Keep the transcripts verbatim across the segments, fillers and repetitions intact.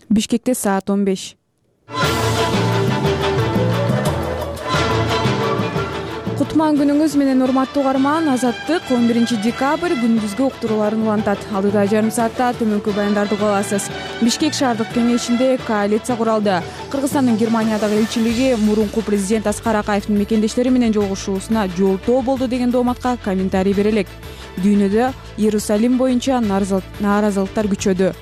Бишкекте саат он беш. Кутман күнүңүз менен урматтуу угарман. Азаттык он биринчи декабрь күндүзгү уктурууларын улантат. Алдыда жарым саатта төмөнкү баяндарды уга аласыз. Бишкек шаардык кеңешинде коалиция куралды. Кыргызстандын Германиядагы элчилиги мурунку президент Аскар Акаевдин мекендештери менен жолугушуусуна жолтоо болду деген дооматка комментарий бере элек. Дүйнөдө Иерусалим боюнча нааразылыктар күчөдү.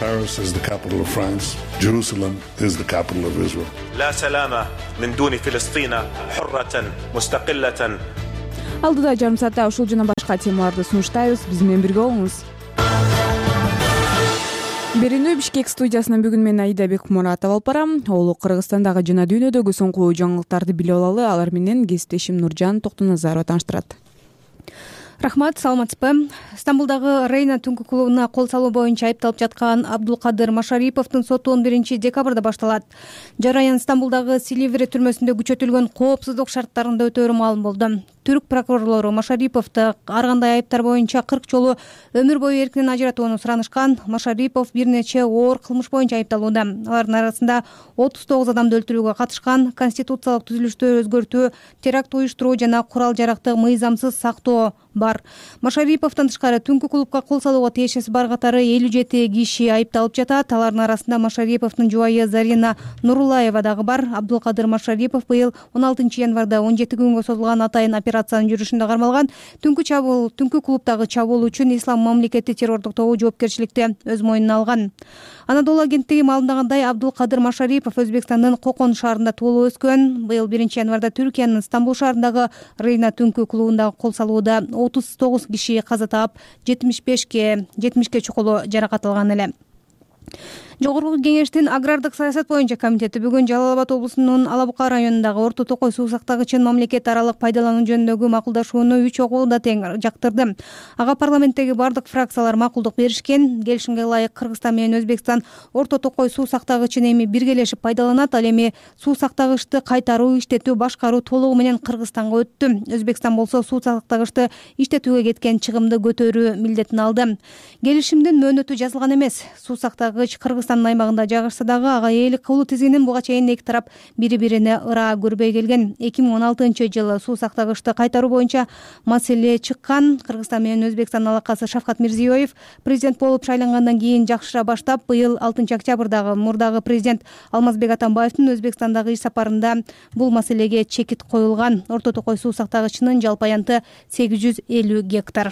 Paris is the capital of France. Jerusalem is the capital of Israel. لا سلام من دون فلسطين حرة مستقلة. Алдыда жарым саатта ушул жана башка темаларды сунуштайбыз. Биз менен бирге болуңуз. Берүүнү Бишкек студиясынан бүгүн мен Аида Бекмуратова алып барам. Олу Кыргызстандагы жана дүйнөдөгү соңку жаңылыктарды билип алалы. Алар менен кесиптешим Нуржан Токтоназарова тааныштырат. Рахмат, саламатсызбы. Стамбулдагы Рейна түнкү клубуна кол салуу боюнча айыпталып жаткан Абдулкадыр Машариповдун соту он биринчи декабрда башталат. Жараян Стамбулдагы Силиври түрмөсүндө күчөтүлгөн коопсуздук шарттарында өтөөрү маалым болду. Түрк прокурорлору Машариповду ар кандай айыптар боюнча кырк жолу өмүр бою эркинен ажыратууну суранышкан. Машарипов бир нече оор кылмыш боюнча айыпталууда. Алардын арасында отуз тогуз адамды өлтүрүүгө катышкан, конституциялык түзүлүштү өзгөртүү, теракт уюштуруу жана курал жаракты мыйзамсыз сактоо бар. Машариповдон тышкары түнкү клубка кол салууга тиешеси бар катары элүү жети киши айыпталып жатат. Алардын арасында Машариповдун жубайы Зарина Нурулаева дагы бар. Абдулкадыр Машарипов быйыл он алтынчы январда он жети күнгө созулган атайын операциянын жүрүшүндө кармалган. Түнкү чабуул, түнкү клубдагы чабуул үчүн Ислам мамлекети террордук тобу жоопкерчиликти өз мойнуна алган. Анадолу агенттиги маалымдагандай, Абдулкадыр Машарипов Өзбекстандын Кокон шаарында туулуп өскөн. Быйыл биринчи январда Түркиянын Стамбул шаарындагы Рейна түнкү клубундагы кол салууда отуз тогуз киши каза таап, жетимиш бешке жетимишке чукулу жаракат алган эле. Жогорку кеңештин агрардык саясат боюнча комитети бүгүн Жалал Абад облусунун Ала Бука районундагы Орто Токой суу сактагычын мамлекет аралык пайдалануу жөнүндөгү макулдашууну үч окууда тең жактырды. Ага парламенттеги бардык фракциялар макулдук беришкен. Келишимге ылайык Кыргызстан менен Өзбекстан Орто Токой суу сактагычын эми биргелешип пайдаланат. Ал эми суу сактагычты кайтаруу, иштетүү, башкаруу толугу менен Кыргызстанга өттү. Өзбекстан болсо суу сактагычты иштетүүгө кеткен чыгымды көтөрүү милдетин алды. Келишимдин мөөнөтү жазылган эмес. Суу сактагыч Кыргызстан аймагында жайгашса дагы ага ээлик кылуу тизигинин буга чейин эки тарап бири-бирине ыраа көрбөй келген. эки миң он алтынчы жылы суу сактагычты кайтаруу боюнча маселе чыккан. Кыргызстан менен Өзбекстан алакасы Шавкат Мирзиёев президент болуп шайлангандан кийин жакшыра баштап, быйыл алтынчы октябрдагы мурдагы президент Алмазбек Атамбаевдин Өзбекстандагы иш сапарында бул маселеге чекит коюлган. Орто Токой суу сактагычынын жалпы аянты сегиз жүз элүү гектар.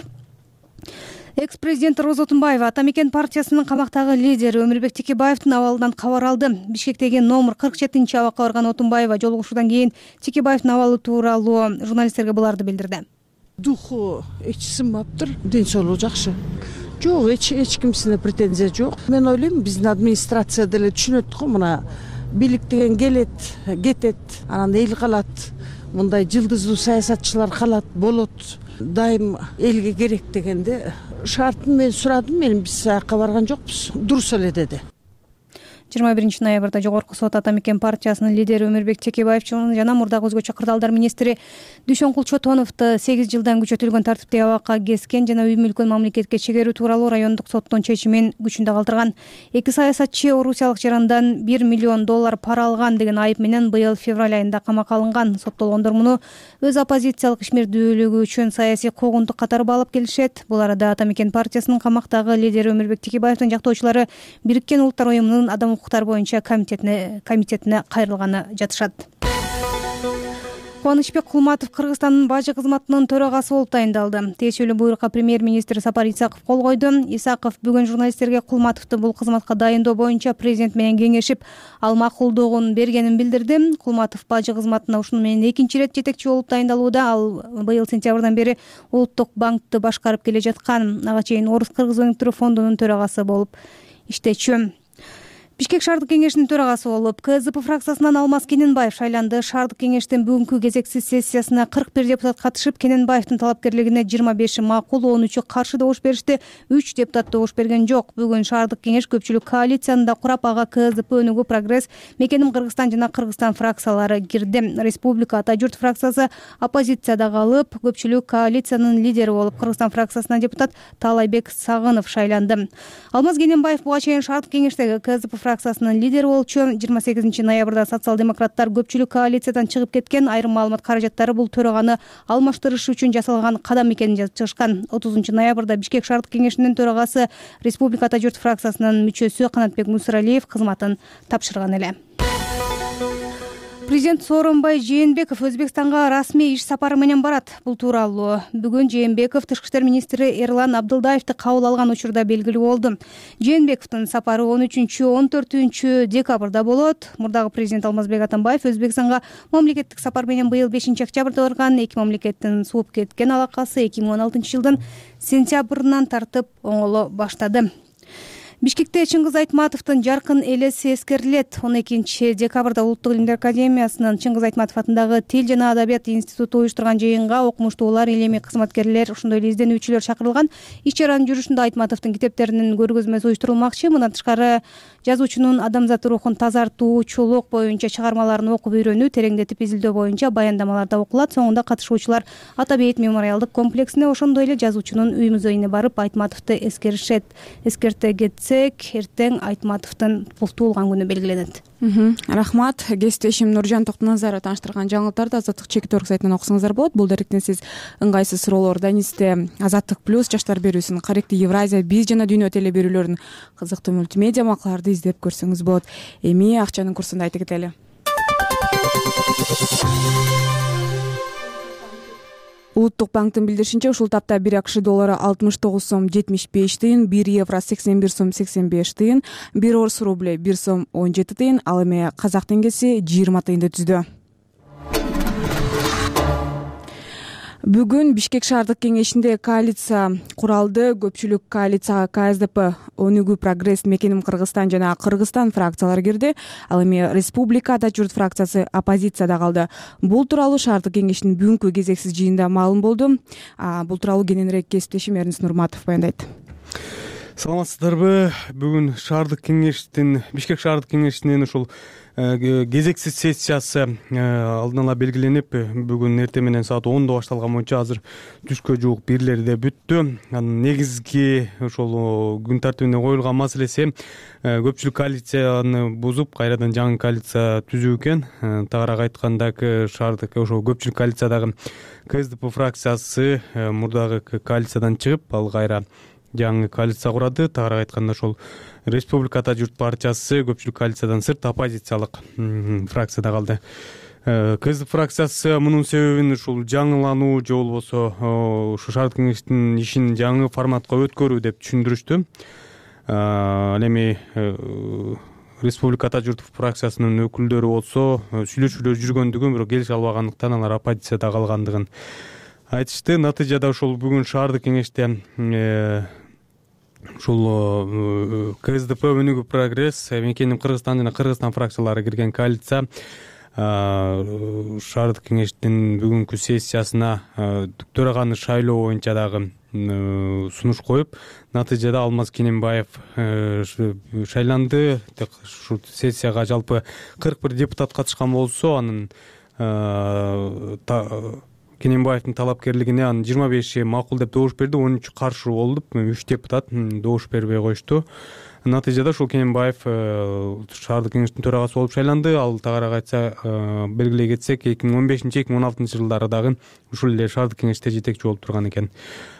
Экс-президент Роза Отунбаева Атамекен партиясынын камактагы лидери Өмүрбек Текебаевдин абалынан кабар алды. Бишкектеги номер кырк жетинчи абакка барган Отунбаева жолугушуудан кийин Текебаевдин абалы тууралуу журналисттерге буларды билдирди. Духу эч сынбаптыр, ден соолугу жакшы. Жок, эч эч кимсине претензия жок. Мен ойлойм, биздин администрация деле түшүнөт го, мына бийлик деген келет, кетет, анан эл калат. Мындай жылдыздуу саясатчылар калат, болот. Дайым элге керек дегенде шартын мен сурадым, мен биз аяққа барган жокпуз. Дурус эле деди. жыйырма биринчи ноябрда жогорку сот Атамекен партиясынын лидери Өмүрбек Текебаев жана мурдагы өзгөчө кырдаалдар министри Дүйшөнкул Чотоновду сегиз жылдан күчөтүлгөн тартиптеги абакка кескен жана үй мүлкүн мамлекетке чегерүү тууралуу райондук соттун чечимин күчүндө калтырган. Эки саясатчы орусиялык жарандан бир миллион доллар пара алган деген айып менен быйыл февраль айында камакка алынган. Соттолгондор муну өз оппозициялык ишмердүүлүгү үчүн саясий куугунтук катары баалап келишет. Бул арада Атамекен партиясынын камактагы лидери Өмүрбек Текебаевдин жактоочулары Бириккен Улуттар уюмунун адам укуктары боюнча комитетине комитетине кайрылганы жатышат. Кубанычбек Кулматов Кыргызстандын бажы кызматынын төрагасы болуп тайындалды. Тиешелүү буйрукка премьер-министр Сапар Исаков кол койду. Исаков бүгүн журналисттерге Кулматовду бул кызматка дайындоо боюнча президент менен кеңешип, ал макулдугун бергенин билдирди. Кулматов бажы кызматына ушуну менен экинчи ирет жетекчи болуп тайындалууда. Ал быйыл сентябрдан бери Улуттук банкты башкарып келе жаткан. Ага чейин Орус Кыргыз өнүктүрүү фондунун төрагасы болуп иштечү. Бишкек шаардык кеңешинин төрагасы болуп КСДП фракциясынан Алмаз Кененбаев шайланды. Шаардык кеңештин бүгүнкү кезексиз сессиясына кырк бир депутат катышып, Кененбаевдин талапкерлигине жыйырма беши макул, он үчү каршы добуш беришти. үч депутат добуш берген жок. Бүгүн шаардык кеңеш көпчүлүк коалицияны да курап, ага КСДП, Өнүгүү, Прогресс, Мекеним Кыргызстан жана Кыргызстан фракциялары кирди. Республика, Ата журт фракциясы оппозицияда калып, көпчүлүк коалициянын лидери болуп, Кыргызстан фракциясынан депутат Таалайбек Сагынов шайланды. Алмаз Кененбаев буга чейин шаардык кеңештеги КСДП фракциясынын лидери болчу. жыйырма сегизинчи ноябрда социал-демократтар көпчүлүк коалициядан чыгып кеткен. Айрым маалымат каражаттары бул төраганы алмаштырыш үчүн жасалган кадам экенин жазып чыгышкан. отузунчу ноябрда Бишкек шаардык кеңешинин төрагасы Республика Ата журт фракциясынын мүчөсү Канатбек Мусралиев кызматын тапшырган эле. Президент Сооронбай Жээнбеков Өзбекстанга расмий иш сапары менен барат. Бул тууралуу бүгүн Жээнбеков тышкы иштер министри Эрлан Абдылдаевди кабыл алган учурда белгилүү болду. Жээнбековдун сапары он үчүнчү он төртүнчү декабрда болот. Мурдагы президент Алмазбек Атамбаев Өзбекстанга мамлекеттик сапар менен быйыл бешинчи октябрда барган. Эки мамлекеттин сууп кеткен алакасы эки миң он алтынчы жылдын сентябрынан тартып оңоло баштады. Бишкекте Чыңгыз Айтматовдун жаркын элеси эскерилет. он экинчи декабрда Улуттук илимдер академиясынын Чыңгыз Айтматов атындагы Тил жана адабият институту уюштурган жыйынга окумуштуулар, илимий кызматкерлер, ошондой эле изденүүчүлөр чакырылган. Иш-чаранын жүрүшүндө Айтматовдун китептеринин көргөзмөсү уюштурулмакчы. Мындан тышкары жазуучунун адамзат рухун тазартуучулук боюнча чыгармаларын окуп үйрөнүү, тереңдетип изилдөө боюнча баяндамалар да окулат. Соңунда катышуучулар Ата бейит мемориалдык комплексине, ошондой эле жазуучунун үй музейине барып Айтматовду эскеришет. Эскерте кетсек, эртең Айтматовдун бул туулган күнү белгиленет. Рахмат. Кесиптешим Нуржан Токтоназарова тааныштырган жаңылыктарды Азаттык чекит орг сайтынан окусаңыздар болот. Бул даректен сиз ыңгайсыз суроолор Данисте Азаттык плюс жаштар берүүсүн, Каректи Евразия, Биз жана Дүйнө теле берүүлөрүнүн кызыктуу мультимедиа макалаларды издеп көрсөңүз болот. Эми акчанын курсун айта кетели. Улуттук банктын билдиришинче, ушул тапта бир АКШ доллары алтымыш тогуз сом жетимиш беш тыйын, бир евро сексен бир сом сексен беш тыйын, бир орус рубль бир сом он жети тыйын, ал эми казак теңгеси жыйырма тыйынды түздү. Бүгүн Бишкек шаардык кеңешинде коалиция куралды. Көпчүлүк коалицияга КСДП, Өнүгүү, Прогресс, Мекеним Кыргызстан жана Кыргызстан фракциялары кирди. Ал эми Республика, Ата журт фракциясы оппозицияда калды. Бул тууралуу шаардык кеңештин бүгүнкү кезексиз жыйынында маалым болду. Бул тууралуу кененирээк кесиптешим Эрнис Нурматов баяндайт. Саламатсыздарбы? Бүгүн шаардык кеңештин, Бишкек шаардык кеңешинин ушул кезексиз сессиясы алдын ала белгиленип, бүгүн эртең менен саат ондо башталган боюнча азыр түшкө жуук бирлерде бүттү. Анын негизги ошол күн тартибине коюлган маселеси көпчүлүк коалицияны бузуп, кайрадан жаңы коалиция түзүү экен. Тагыраак айтканда, шаардык ошол көпчүлүк коалициядагы КСДП фракциясы мурдагы коалициядан чыгып, ал кайра жаңы коалиция курады. Тагыраак айтканда, ошол Республика Ата журт партиясы көпчүлүк коалициядан сырт оппозициялык фракцияда калды. КСДП фракциясы мунун себебин ушул жаңылануу же болбосо ушу шаардык кеңештин ишин жаңы форматка өткөрүү деп түшүндүрүштү. Ал эми Республика Ата журт фракциясынын өкүлдөрү болсо сүйлөшүүлөр жүргөндүгүн, бирок келише албагандыктан алар оппозицияда калгандыгын айтышты. Натыйжада ошол бүгүн шаардык кеңеште ушул КСДП, Өнүгүү, Прогресс, Мекеним Кыргызстан жана Кыргызстан фракциялары кирген коалиция шаардык кеңештин бүгүнкү сессиясына төраганы шайлоо боюнча дагы сунуш коюп, натыйжада Алмаз Кененбаев шайланды. Ушул сессияга жалпы кырк бир депутат катышкан болсо, анын Кененбаевдин талапкерлигине анын жыйырма беши макул деп добуш берди, он үчү каршы болуп, үч депутат добуш бербей коюшту. Натыйжада ушул Кененбаев шаардык кеңештин төрагасы болуп шайланды. Ал тагыраак айтса, белгилей кетсек, эки миң он бешинчи эки миң он алтынчы жылдары дагы ушул эле шаардык кеңеште жетекчи болуп турган экен.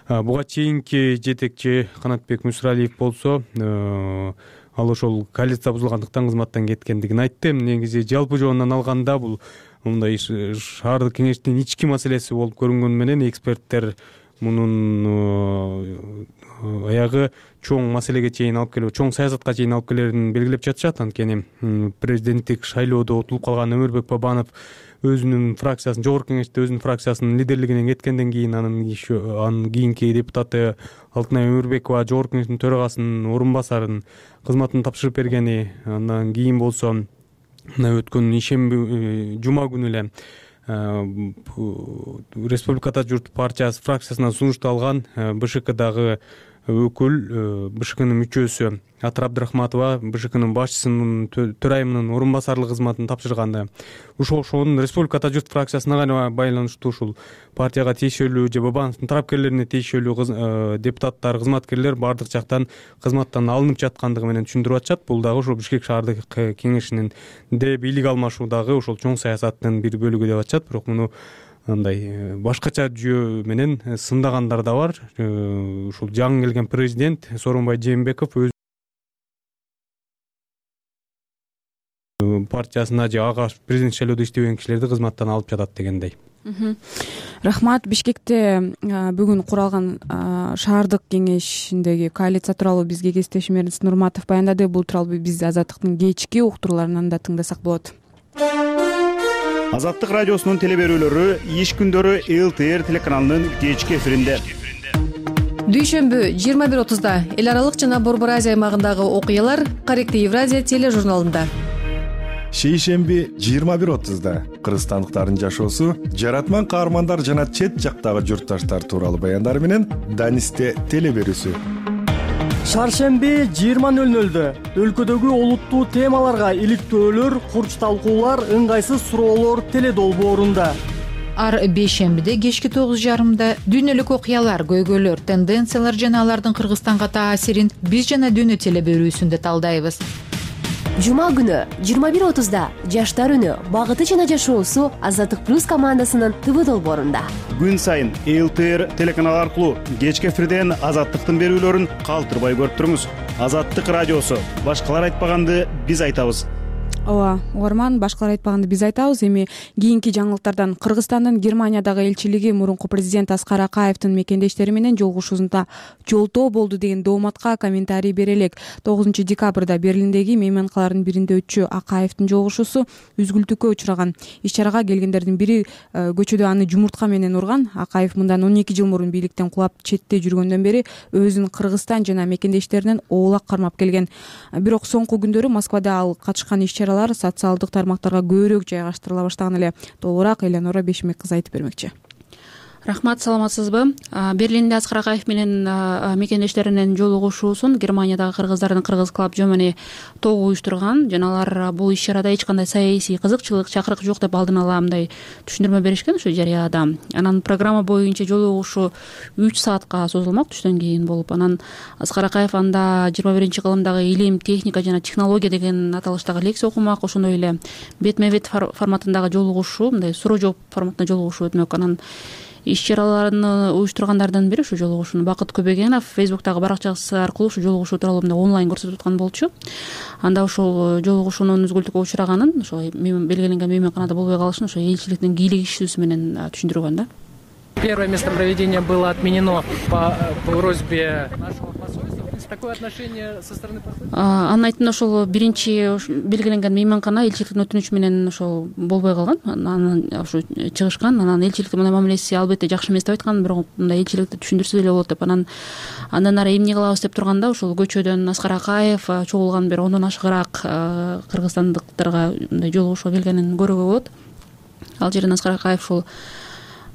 Буга чейинки жетекчи Канатбек Мусралиев болсо, ал ошол коалиция бузулгандыктан кызматтан кеткендигин айтты. Негизи жалпы жоондан алганда бул мындай шаардык кеңештин ички маселеси болуп көрүнгөнү менен эксперттер мунун аягы чоң маселеге чейин алып келип, чоң саясатка чейин алып келерин белгилеп жатышат. Анткени президенттик шайлоодо утулуп калган Өмүрбек Бабанов өзүнүн фракциясын, жогорку кеңеште өзүнүн фракциясынын лидерлигинен кеткенден кийин анын анын кийинки депутаты Алтынай Өмүрбекова жогорку кеңештин төрагасынын орун басарын кызматын тапшырып бергени, андан кийин болсо мына өткөн ишемби жума күнү эле Республикада журт партиясы фракциясына сунушталган БШКдагы өкүл, БШКнын мүчөсү Атыр Абдрахматова БШКнын башчысынын төрайымынын орун басарлык кызматын тапшырганды. Ушул ошонун Республикада журт фракциясына байланыштуу ушул партияга тиешелүү же Бабановдун тарапкерлерине тиешелүү депутаттар, кызматкерлер бардык жактан кызматтан алынып жаткандыгы менен түшүндүрүп атышат. Бул дагы ушул Бишкек шаардык кеңешинин де бийлик алмашуудагы ушул чоң саясаттын бир бөлүгү деп атышат. Бирок муну андай башкача жүйө менен сындагандар да бар. Ушул жаңы келген президент Сооронбай Жээнбеков өз партиясына же ага президент шайлоодо иштебеген кишилерди кызматтан алып жатат дегендей. Рахмат. Бишкекте бүгүн куралган шаардык кеңешиндеги коалиция тууралуу бизге кесиптешим Эрнест Нурматов баяндады. Бул тууралуу биз Азаттыктын кечки уктурууларынан да тыңдасак болот. Азаттык радиосунун теле берүүлөрү иш күндөрү эл тэ эр телеканалынын кечки эфиринде. Дүйшөмбү жыйырма бир отузда эл аралык жана Борбор Азия аймагындагы окуялар Корректный Евразия тележурналында. Шейшемби жыйырма бир отузда кыргызстандыктардын жашоосу, жаратман каармандар жана чет жактагы журтташтар тууралуу баяндар менен Данисте теле берүүсү. Шаршемби жыйырма нөл нөлдө өлкөдөгү олуттуу темаларга иликтөөлөр, курч талкуулар, ыңгайсыз суроолор теле долбоорунда. Ар бейшембиде кечки тогуз жарымда дүйнөлүк окуялар, көйгөйлөр, тенденциялар жана алардын Кыргызстанга таасирин биз жана дүйнө теле берүүсүндө талдайбыз. Жума күнү жыйырма бир отузда Жаштар үнү, багыты жана жашоосу Азаттык плюс командасынын ТВ долбоорунда. Күн сайын эл тэ эр телеканалы аркылуу кечки эфирден Азаттыктын берүүлөрүн калтырбай көрүп туруңуз. Азаттык радиосу. Башкалар айтпаганды биз айтабыз. Ооба, угарман, башкалар айтпаганды биз айтабыз. Эми кийинки жаңылыктардан Кыргызстандын Германиядагы элчилиги мурунку президент Аскар Акаевдин мекендештери менен жолугушуусунда жолтоо болду деген дооматка комментарий бере элек. тогузунчу декабрда Берлиндеги мейманкалардын биринде өтчү Акаевдин жолугушуусу үзгүлтүккө учураган. Иш-чарага келгендердин бири көчөдө аны жумуртка менен урган. Акаев мындан он эки жыл мурун бийликтен кулап четте жүргөндөн бери өзүн Кыргызстан жана мекендештеринен оолак кармап келген. Бирок соңку күндөрү Москвада ал катышкан иш-чара социалдык тармактарга көбүрөөк жайгаштырыла баштаган эле. Толугураак Элеонора Бешмек кызы айтып бермекчи. Рахмат, саламатсызбы? Берлинде Аскар Акаев менен мекендештеринин жолугушуусун Германиядагы кыргыздардын Кыргыз клуб жомени тобу уюштурган жана алар бул иш-чарада эч кандай саясий кызыкчылык, чакырык жок деп алдын ала мындай түшүндүрмө беришкен ушу жарыяда. Анан программа боюнча жолугушуу үч саатка созулмак түштөн кийин болуп, анан Аскар Акаев анда жыйырма биринчи кылымдагы илим, техника жана технология деген аталыштагы лекция окумак. Ошондой эле бетме-бет форматындагы жолугушуу, мындай суроо жооп форматында жолугушуу өтмөк. Анан иш-чараларын уюштургандардан бири ушу жолугушууну Бакыт Көбөгенов Фейсбуктагы баракчасы аркылуу ушу жолугушуу тууралуу мындай онлайн көрсөтүп аткан болчу. Анда ушул жолугушуунун үзгүлтүккө учураганын, ошо белгиленген мейманканада болбой калышын ошо элчиликтин кийлик ишүүсү менен түшүндүргөн да. Первое место проведения было отменено по просьбе нашего посольства. Такое отношение со стороны посольства? Анын айтымында ошол биринчи белгиленген мейманкана элчиликтин өтүнүчү менен ошол болбой калган. Анан ошо чыгышкан. Анан элчиликтин мындай мамилеси албетте жакшы эмес деп айткан, бирок мындай элчиликти түшүндүрсө деле болот деп. Анан андан ары эмне кылабыз деп турганда ошол көчөдөн Аскар Акаев чогулган бир ондон ашыгыраак кыргызстандыктарга мындай жолугушууга келгенин көрүүгө болот. Ал жерден Аскар Акаев ушул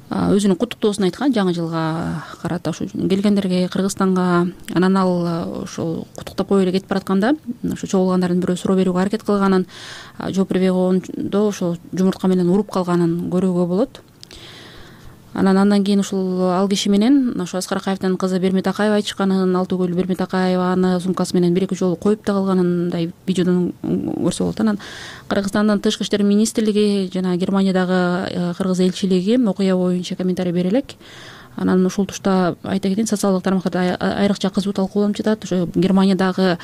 өзүнүн куттуктоосун айткан жаңы жылга карата ушу келгендерге Кыргызстанга. Анан ал ошол куттуктап коюп эле кетип баратканда ошо чогулгандардын бирөө суроо берүүгө аракет кылганын, жооп бербей койгондо ошол жумуртка менен уруп калганын көрүүгө болот. Анан андан кийин ушул ал киши менен ошо Аскар Акаевдин кызы Бермет Акаева айтышканын, Алтыгүл Бермет Акаеваны сумкасы менен бир эки жолу коюп да калганын мындай видеодон көрсө болот. Анан Кыргызстандын тышкы иштер министрлиги жана Германиядагы кыргыз элчилиги окуя боюнча комментарий бере элек. Анан ушул тушта айта кетейин, социалдык тармактарда айрыкча кызуу талкууланып жатат. Ошо Германиядагы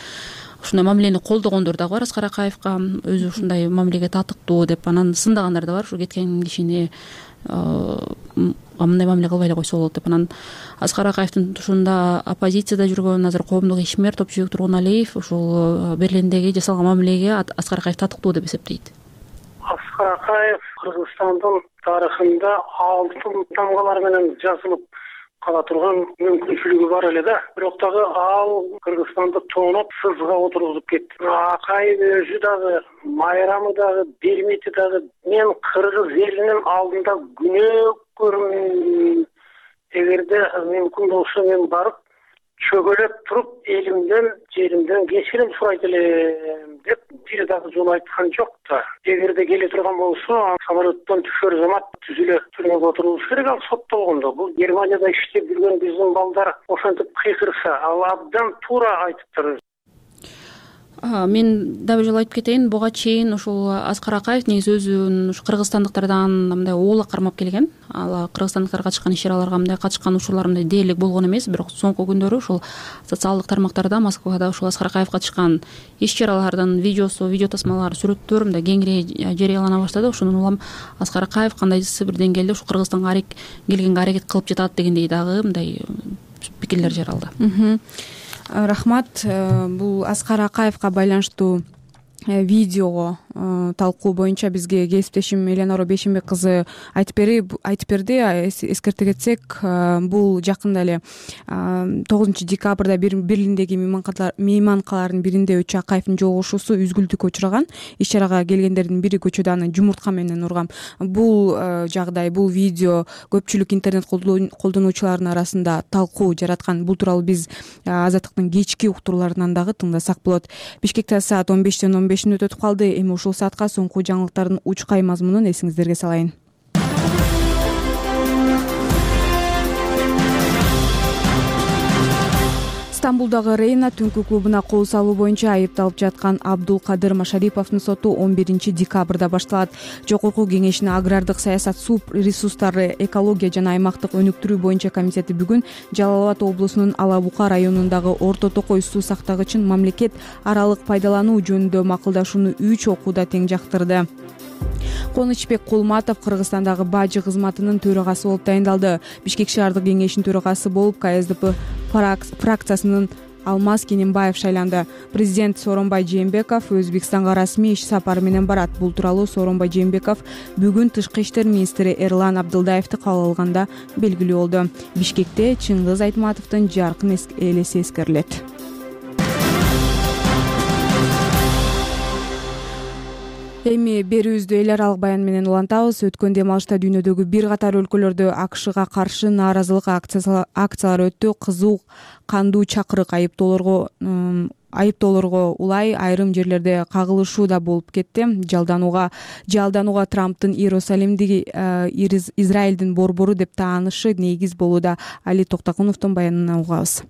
ушундай мамилени колдогондор дагы бар. Аскар Акаевка өзү ушундай мамилеге татыктуу деп анан сындагандар да бар. Ушу кеткен кишини мындай мамиле кылбай эле койсо болот деп. Анан Аскар Акаевдин тушунда оппозицияда жүргөн азыр коомдук ишмер Топчубек Тургуналиев ушул Берлиндеги жасалган мамилеге Аскар Акаев татыктуу деп эсептейт. Аскар Акаев Кыргызстандын тарыхында алтын тамгалар менен жазылып кала турган мүмкүнчүлүгү бар эле да. Бирок дагы ал Кыргызстанды тооноп сызга отургузуп кетти. Акаев өзү дагы, майрамы дагы, бермити дагы мен кыргыз элинин алдында күнөө көрмөйм. Эгерде мүмкүн болсо мен барып чөгөлөп туруп элимден, жеримден кечирим сурайт элем деп бир дагы жолу айткан жок да. Эгерде келе турган болсо, самолеттон түшөр замат түзүлө түрмөгө отурулуш керек, ал соттолгондо. Бул Германияда иштеп жүргөн биздин балдар ошентип кыйкырса, ал абдан туура айтыптыр. Мен дагы бир жолу айтып кетейин, буга чейин ушул Аскар Акаев негизи өзүн ушу кыргызстандыктардан мындай оола кармап келген. Ал кыргызстандыктар катышкан иш-чараларга мындай катышкан учурлар мындай дээрлик болгон эмес, бирок соңку күндөрү ушул социалдык тармактарда Москвада ушул Аскар Акаев катышкан иш-чаралардын видеосу, видео тасмалары, сүрөттөр мындай кеңири жарыялана баштады. Ошондон улам Аскар Акаев кандайдыр бир деңгээлде ушу Кыргызстанга келгенге аракет кылып жатат дегендей дагы мындай пикирлер жаралды. Рахмат. Бул Аскар Акаевка байланыштуу видеого талкуу боюнча бизге кесиптешим Эленора Бешимбек кызы айтып берип айтып берди. Эскерте кетсек, бул жакында эле тогузунчу декабрда Берлиндеги мейманкалардын биринде үч Акаевдин жолугушуусу үзгүлтүккө учураган. Иш-чарага келгендердин бири көчөдө аны жумуртка менен урган. Бул жагдай, бул видео көпчүлүк интернет колдонуучулардын арасында талкуу жараткан. Бул тууралуу биз Азаттыктын кечки уктурууларынан дагы тыңдасак болот. Бишкекте саат он бештен он беш мүнөт өтүп калды. Эми ушул саатка соңку жаңылыктардын учкай мазмунун эсиңиздерге салайын. Стамбулдагы Рейна түнкү клубуна кол салуу боюнча айыпталып жаткан Абдулкадыр Машариповдун соту он биринчи декабрда башталат. Жогорку кеңештин агрардык саясат, суу ресурстары, экология жана аймактык өнүктүрүү боюнча комитети бүгүн Жалал Абад облусунун Ала Бука районундагы Орто Токой суу сактагычын мамлекет аралык пайдалануу жөнүндө макулдашууну үч окууда тең жактырды. Конучбек Кулматов Кыргызстандагы бажы кызматынын төрагасы болуп дайындалды. Бишкек шаардык кеңешинин төрагасы болуп Ка С Д П фракциясынын Алмаз Кененбаев шайланды. Президент Сооронбай Жээнбеков Өзбекстанга расмий иш сапары менен барат. Бул тууралуу Сооронбай Жээнбеков бүгүн тышкы иштер министри Эрлан Абдылдаевди кабыл алганда белгилүү болду. Бишкекте Чыңгыз Айтматовдун жаркын элеси эскерилет. Эми берүүбүздү эл аралык баян менен улантабыз. Өткөн дем алышта дүйнөдөгү бир катар өлкөлөрдө А К Шга каршы нааразылык акциялары өттү. Кызуу кандуу чакырык айыптоолорго айыптоолорго улай айрым жерлерде кагылышуу да болуп кетти. Жалданууга жалданууга Трамптын Иерусалимдеги Израилдин борбору деп таанышы негиз болууда. Али Токтокуновдун баянынан угабыз.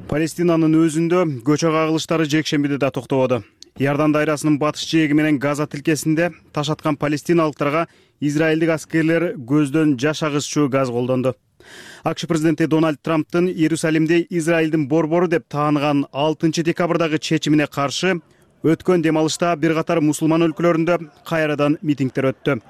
Палестинанын өзүндө көчө кагылыштары жекшембиде да токтободу. Иордан дайрасынын батыш жээги менен Газа тилкесинде таш аткан палестиналыктарга израилдик аскерлер көздөн жаш агызчу газ колдонду. А К Ш президенти Дональд Трамптын Иерусалимде Израилдин борбору деп тааныган алтынчы декабрдагы чечимине каршы өткөн дем алышта бир катар мусулман өлкөлөрүндө кайрадан митингдер өттү.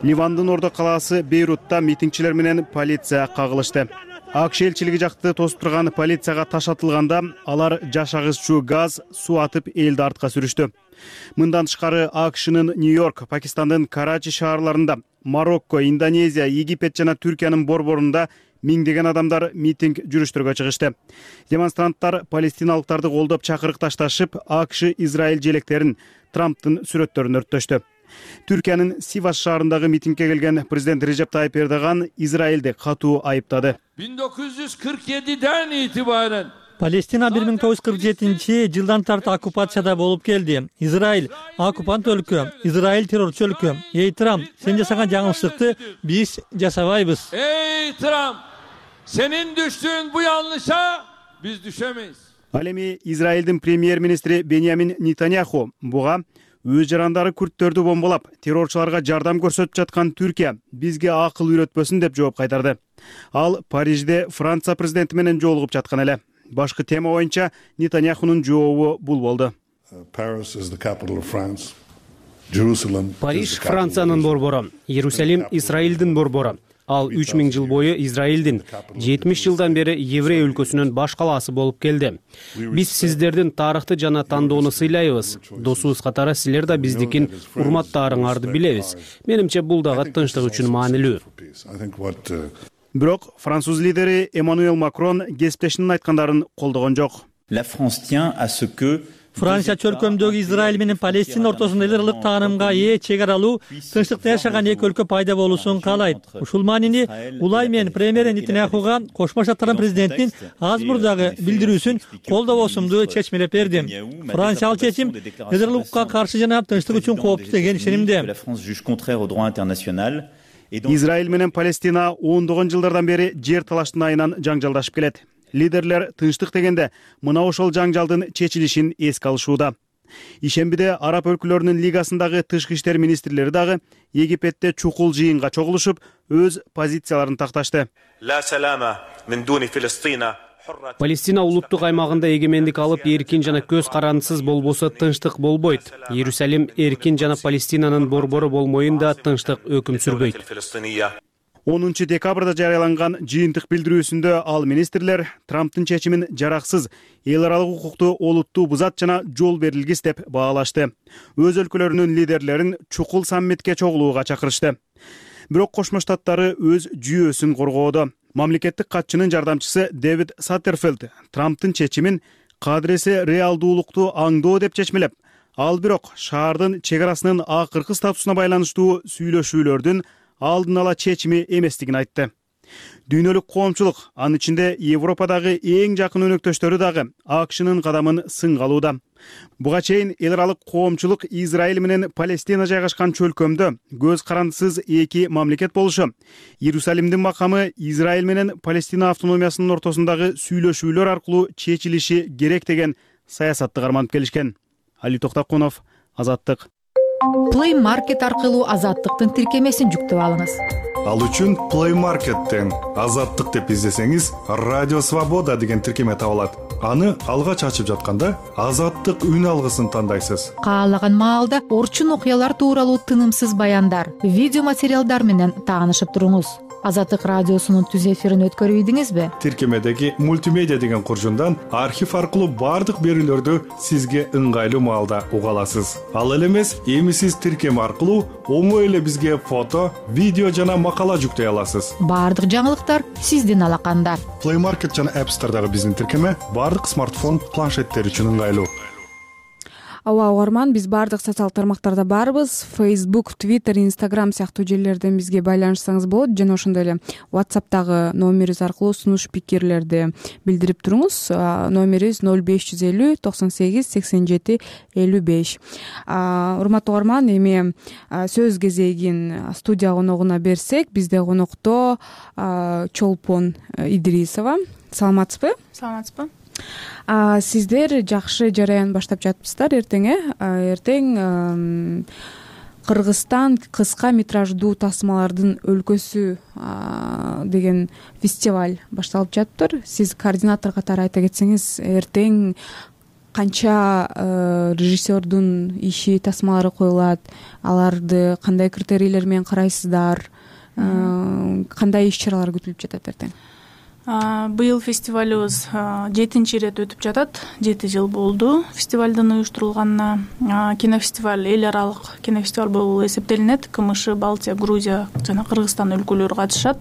Ливандын Ордо калаасы Бейрутта митингчилер менен полиция кагылышты. А К Ш элчилиги жакты тосуп турган полицияга таш атылганда алар жаш агызчу газ, суу атып элди артка сүрүштү. Мындан тышкары А К Шнын Нью-Йорк, Пакистандын Карачи шаарларында, Марокко, Индонезия, Египет жана Түркиянын борборунда миңдеген адамдар митинг жүрүштөргө чыгышты. Демонстранттар палестиналыктарды колдоп чакырык ташташып, А К Ш Израиль желектерин, Трамптын сүрөттөрүн өрттөштү. Түркиянын Сивас шаарындагы митингге келген президент Режеп Тайып Эрдоган Израилди катуу айыптады. миң тогуз жүз кырк жетиден итибарен Палестина бир миң тогуз жүз кырк жетинчи жылдан тарты оккупацияда болуп келди. Израиль оккупант өлкө, Израиль террорчу өлкө. Эй Трамп, сен жасаган жаңылыштыкты биз жасабайбыз. Эй Трамп, сенин düştüğün bu yanlışa biz düşemeyiz. Ал эми Израилдин премьер-министри Беньямин Нетаньяху буга өз жарандары күрттөрдү бомбалап террорчуларга жардам көрсөтүп жаткан Түркия бизге акыл үйрөтпөсүн деп жооп кайтарды. Ал Парижде Франция президенти менен жолугуп жаткан эле. Башкы тема боюнча Нетаньяхунун жообу бул болду. Париж Франциянын борбору, Иерусалим Израилдин борбору. Ал үч миң жыл бою Израилдин жетимиш жылдан бери еврей өлкөсүнүн баш калаасы болуп келди. Биз сиздердин тарыхты жана тандоону сыйлайбыз. Досубуз катары силер да биздикин урматтаарыңарды билебиз. Менимче бул дагы тынчтык үчүн маанилүү. Бирок француз лидери Эммануэл Макрон кесиптешинин айткандарын колдогон жок. Франция чөлкөмдөгү Израиль менен Палестина ортосунда эл аралык таанымга ээ чек аралуу, тынчтыкта жашаган эки өлкө пайда болуусун каалайт. Ушул маанини улай менен премьер Нетаньяхуга Кошмо Штаттардын президентинин аз мурдагы билдирүүсүн колдобосумду чечмелеп берди. Франция ал чечим эл аралыкка каршы жана тынчтык үчүн кооптуу деген ишенимде. Израиль менен Палестина ондогон жылдардан бери жер талаштын айынан жаңжалдашып келет. Лидерлер тынчтык дегенде мына ошол жаңжалдын чечилишин эске алышууда. Ишембиде Араб өлкөлөрүнүн лигасындагы тышкы иштер министрлери дагы Египетте чукул жыйынга чогулушуп, өз позицияларын такташты. Палестина улуттук аймагында эгемендик алып, эркин жана көз карандысыз болбосо тынчтык болбойт. Иерусалим эркин жана Палестинанын борбору болмоюнда тынчтык өкүм сүрбөйт. онунчу декабрда жарыяланган жыйынтык билдирүүсүндө ал министрлер Трамптын чечимин жараксыз, эл аралык укукту олуттуу бузат жана жол берилгис деп баалашты. Өз өлкөлөрүнүн лидерлерин чукул саммитке чогулууга чакырышты. Бирок Кошмо Штаттары өз жүйөсүн коргоодо. Мамлекеттик катчынын жардамчысы Дэвид Саттерфелд Трамптын чечимин кадыресе реалдуулукту аңдоо деп чечмелеп, ал бирок шаардын чек арасынын акыркы статусуна байланыштуу сүйлөшүүлөрдүн алдын ала чечими эместигин айтты. Дүйнөлүк коомчулук, анын ичинде Европадагы эң жакын өнөктөштөрү дагы АКШнын кадамын сынга алууда. Буга чейин эл аралык коомчулук Израиль менен Палестина жайгашкан чөлкөмдө көз карандысыз эки мамлекет болушу, Иерусалимдин макамы Израиль менен Палестина автономиясынын ортосундагы сүйлөшүүлөр аркылуу чечилиши керек деген саясатты карманып келишкен. Али Токтакунов, Азаттык. Play Market аркылуу Азаттыктын тиркемесин жүктөп алыңыз. Ал үчүн Play Market'тен Азаттык деп издесеңиз, Радио Свобода деген тиркеме табылат. Аны алгач ачып жатканда Азаттык үн алгысын тандайсыз. Каалаган маалда орчун окуялар тууралуу тынымсыз баяндар, видео материалдар менен таанышып туруңуз. Азаттык радиосунун түз эфирин өткөрүп ийдиңизби? Тиркемедеги мультимедиа деген куржундан архив аркылуу бардык берүүлөрдү сизге ыңгайлуу маалда уга аласыз. Ал эле эмес, эмисиз тиркеме аркылуу оңой эле бизге фото, видео жана макала жүктөй аласыз. Бардык жаңылыктар сиздин алаканда. Play Market жана App Store'дагы биздин тиркеме бардык смартфон, планшеттер үчүн ыңгайлуу. Ооба угарман, биз бардык социалдык тармактарда барбыз. Facebook, Twitter, Instagram сыяктуу жерлерден бизге байланышсаңыз болот. Жана ошондой эле WhatsApp'тагы номерибиз аркылуу сунуш пикирлерди билдирип туруңуз. Номерибиз ноль беш жүз элүү токсон сегиз сексен жети элүү беш. Урматтуу угарман, эми сөз кезегин студия коногуна берсек, бизде конокто Чолпон Идрисова. Саламатсызбы? Саламатсызбы? Сиздер жакшы жараян баштап жатыпсыздар. Эртең эртең Кыргызстан кыска метраждуу тасмалардын өлкөсү деген фестиваль башталып жатыптыр. Сиз координатор катары айта кетсеңиз, эртең канча режиссердун иши тасмалары коюлат, аларды кандай критерийлер менен карайсыздар, кандай иш-чаралар күтүлүп жатат эртең? Быйыл фестивалыбыз жетинчи ирет өтүп жатат. жети жыл болду фестивалдын уюштурулганына. Кинофестиваль эл аралык кинофестиваль болуп эсептелинет. КМШ, Балтия, Грузия жана Кыргызстан өлкөлөрү катышат.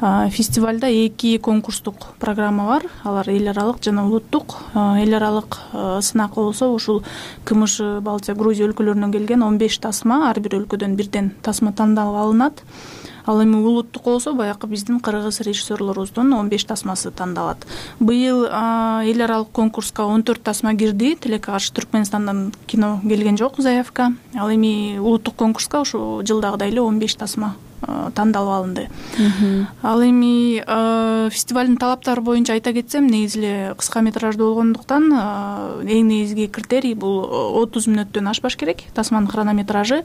Фестивалда эки конкурстук программа бар. Алар эл аралык жана улуттук. Эл аралык сынак болсо ушул КМШ, Балтия, Грузия өлкөлөрүнөн келген он беш тасма, ар бир өлкөдөн бирден тасма тандалып алынат. Ал эми улуттук болсо баягы биздин кыргыз режиссерлорубуздун он беш тасмасы тандалат. Быйыл эл аралык конкурска он төрт тасма кирди. Тилекке каршы Түркмөнстандан кино келген жок заявка. Ал эми улуттук конкурска ошо жылдагыдай эле он беш тасма тандалып алынды. Ал эми фестивалдын талаптары боюнча айта кетсем, негизи эле кыска метраждуу болгондуктан эң негизги критерий бул отуз мүнөттөн ашпаш керек тасманын хронометражы.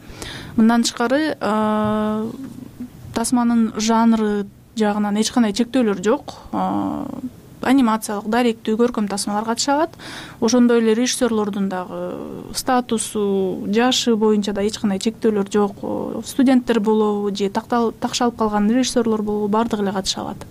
Мындан тышкары тасманын жанры жагынан эч кандай чектөөлөр жок. Анимациялык, даректүү, көркөм тасмалар катыша алат. Ошондой эле режиссерлордун дагы статусу, жашы боюнча да эч кандай чектөөлөр жок. Студенттер болобу же такшалып калган режиссерлор болобу, бардыгы эле катыша алат.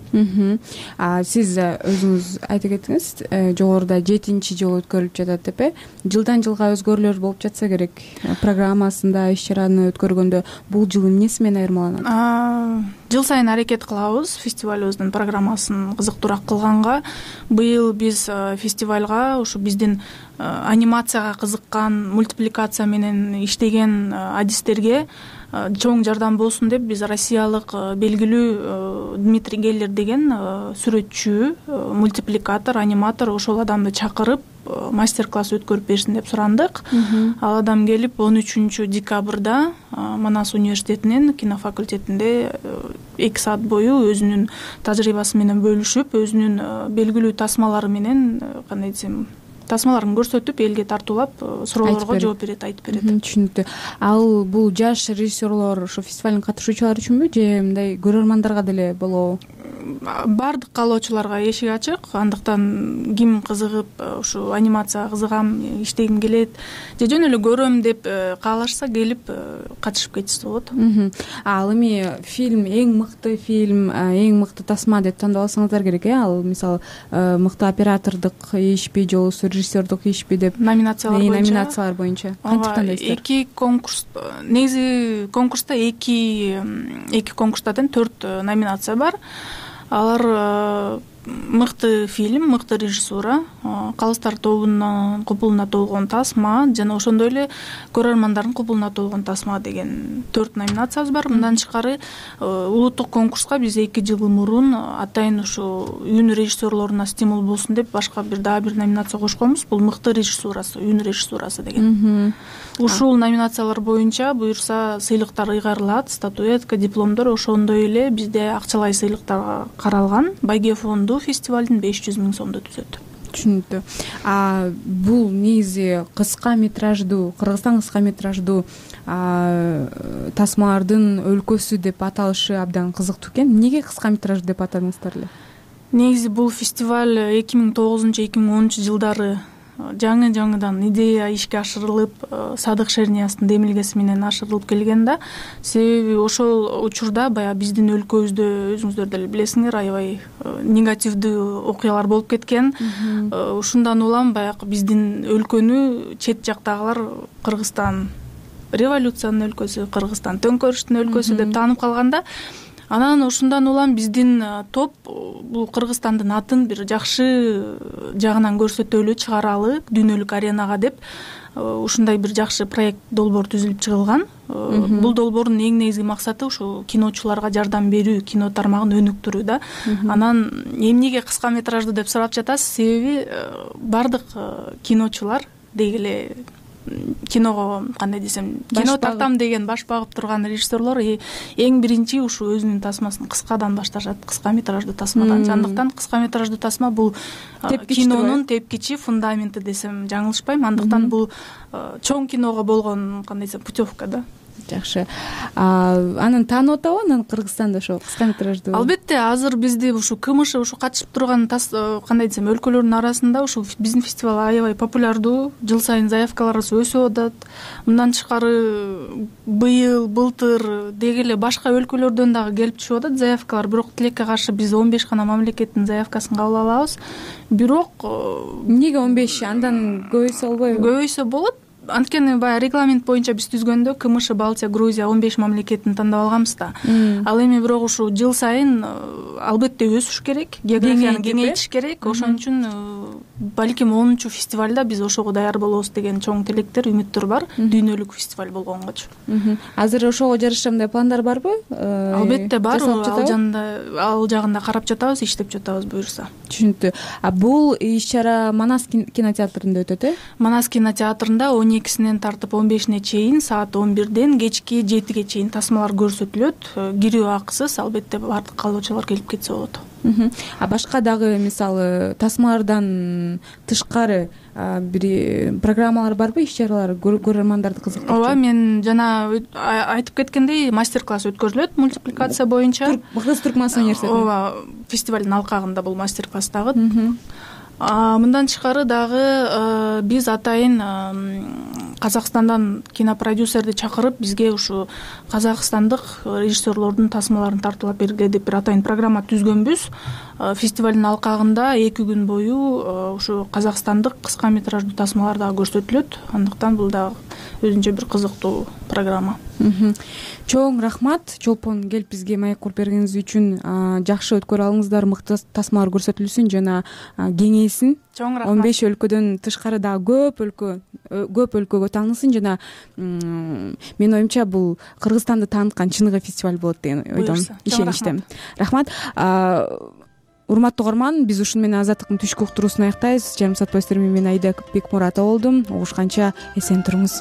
А сиз өзүңүз айта кеттиңиз, жогоруда жетинчи жолу өткөрүлүп жатат деп э? Жылдан жылга өзгөрүүлөр болуп жатса керек. Программасында иш чараны өткөргөндө бул жыл эмнеси менен айырмаланат? Жыл сайын аракет кылабыз фестивалыбыздын программасын кызыктуураак кылганга. Быйыл биз фестивалга ушу биздин анимацияга кызыккан, мультипликация менен иштеген адистерге чоң жардам болсун деп биз россиялык белгилүү Дмитрий Геллер деген сүрөтчү, мультипликатор, аниматор ошол адамды чакырып мастер-класс өткөрүп берсин деп сурандык. Ал адам келип он үчүнчү декабрда Манас университетинин кинофакультетинде эки саат бою өзүнүн тажрыйбасы менен бөлүшүп, өзүнүн белгилүү тасмалары менен, кандай десем, тасмаларын көрсөтүп, элге тартуулап, суроолорго жооп берет, айтып берет. Түшүнүктүү. Ал бул жаш режиссерлор ошо фестивалдын катышуучулары үчүнбү же мындай көрөрмандарга деле болобу? Бардык каалоочуларга эшик ачык. Андыктан ким кызыгып, ушу анимацияга кызыгам, иштегим келет же жөн эле көрөм деп каалашса, келип катышып кетсе болот. Ал эми фильм эң мыкты фильм, эң мыкты тасма деп тандап алсаңыздар керек э? Ал мисалы мыкты оператордук ишпи, же болбосо режиссердук ишпи деп номинациялар боюнча. Номинациялар боюнча кантип тандайсыздар? Эки конкурс, негизи конкурста эки эки конкурста тең төрт номинация бар. Алар мыкты фильм, мыкты режиссура, калыстар тобунун купулуна толгон тасма жана ошондой эле көрөрмандардын купулуна толгон тасма деген төрт номинациябыз бар. Мындан тышкары улуттук конкурска биз эки жыл мурун атайын ушу үн режиссерлоруна стимул болсун деп башка бир дагы бир номинация кошконбуз. Бул мыкты режиссурасы, үн режиссурасы деген. Ушул номинациялар боюнча буюрса сыйлыктар ыйгарылат, статуэтка, дипломдор, ошондой эле бизде акчалай сыйлыктар каралган. Байге фонду фестивалдын беш жүз миң сомду түзөт. Түшүнүктүү. А бул негизи кыска метраждуу, Кыргызстан кыска метраждуу тасмалардын өлкөсү деп аталышы абдан кызыктуу экен. Эмнеге кыска метраждуу деп атадыңыздар эле? Негизи бул фестиваль эки миң тогузунчу эки миң онунчу жылдары жаңы жаңыдан идея ишке ашырылып, Садык Шерниястын демилгеси менен ашырылып келген да. Себеби ошол учурда баягы биздин өлкөбүздө өзүңүздөр деле билесиңер, аябай негативдүү окуялар болуп кеткен. Ушундан улам баягы биздин өлкөнү чет жактагылар Кыргызстан революциянын өлкөсү, Кыргызстан төңкөрүштүн өлкөсү деп таанып калганда, анан ушундан улам биздин топ бул Кыргызстандын атын бир жакшы жагынан көрсөтөлү, чыгаралы дүйнөлүк аренага деп ушундай бир жакшы проект, долбоор түзүлүп чыгылган. Бул долбоордун эң негизги максаты ушу киночуларга жардам берүү, кино тармагын өнүктүрүү да. Анан эмнеге кыска метраждуу деп сурап жатасыз? Себеби бардык киночулар деги эле киного, кандай десем, кино тартам деген баш багып турган режиссерлор эң биринчи ушу өзүнүн тасмасын кыскадан башташат, кыска метраждуу тасмадан. Андыктан кыска метраждуу тасма бул кинонун тепкичи фундаменти десем жаңылышпайм. Андыктан бул чоң киного болгон, кандай десем, путевка да. Жакшы. Анын таанып атабы анан Кыргызстанда ошо кыска метраждуу? Албетте, азыр бизде ушу КМШ ушу катышып турган, кандай десем, өлкөлөрдүн арасында ушу биздин фестиваль аябай популярдуу. Жыл сайын заявкаларыбыз өсүп атат. Мындан тышкары быйыл, былтыр деги эле башка өлкөлөрдөн дагы келип түшүп атат заявкалар. Бирок тилекке каршы биз он беш гана мамлекеттин заявкасын кабыл алабыз. Бирок эмнеге он беш? Андан көбөйсө болбойбу? Көбөйсө болот. Анткени баягы регламент боюнча биз түзгөндө КМШ, Балтия, Грузия он беш мамлекеттин тандап алганбыз да. Ал эми бирок ушу жыл сайын албетте өсүш керек, географияны кеңейтиш керек. Ошон үчүн балким онунчу фестивалда биз ошого даяр болобуз деген чоң тилектер, үмүттөр бар, дүйнөлүк фестиваль болгонгочу. Азыр ошого жараша мындай пландар барбы? Албетте бар, ал жагында ал жагында карап жатабыз, иштеп жатабыз буюрса. Түшүнүктүү. А бул иш чара Манас кинотеатрында өтөт э? Манас кинотеатрында он экисинен тартып он бешине чейин саат он бирден кечки жетиге чейин тасмалар көрсөтүлөт, кирүү акысыз, албетте баардык каалоочулар келип кетсе болот. А башка дагы мисалы тасмалардан тышкары бир программалар барбы, иш чаралар көрөрмандарды кызыктырчу? ооба, мен жана айтып кеткендей мастер-класс өткөрүлөт мультипликация боюнча. Кыргыз түркман университети. ооба, фестивалдын алкагында бул мастер-класс дагы. Мындан тышкары дагы биз атайын Казакстандан кинопродюсерди чакырып, бизге ушу казакстандык режиссерлордун тасмаларын тартуулап бергиле деп бир атайын программа түзгөнбүз. Фестивалдын алкагында эки күн бою ушу казакстандык кыска метраждуу тасмалар дагы көрсөтүлөт. Андыктан бул дагы өзүнчө бир кызыктуу программа. Чоң рахмат чолпон келип бизге маек куруп бергениңиз үчүн. Жакшы өткөрүп алыңыздар, мыкты тасмалар көрсөтүлсүн жана кеңейсин. Чоң рахмат. он беш өлкөдөн тышкары дагы көп өлкө көп өлкөгө таанысын жана менин оюмча бул Кыргызстанды тааныткан чыныгы фестиваль болот деген ойдон, ишеничтемин. Рахмат. Урматтуу угарман, биз ушуну менен Азаттыктын түшкү уктуруусун аяктайбыз. Жарым саат боюнча мен Аида Бекмуратова болдум. Угушканча эсен туруңуз.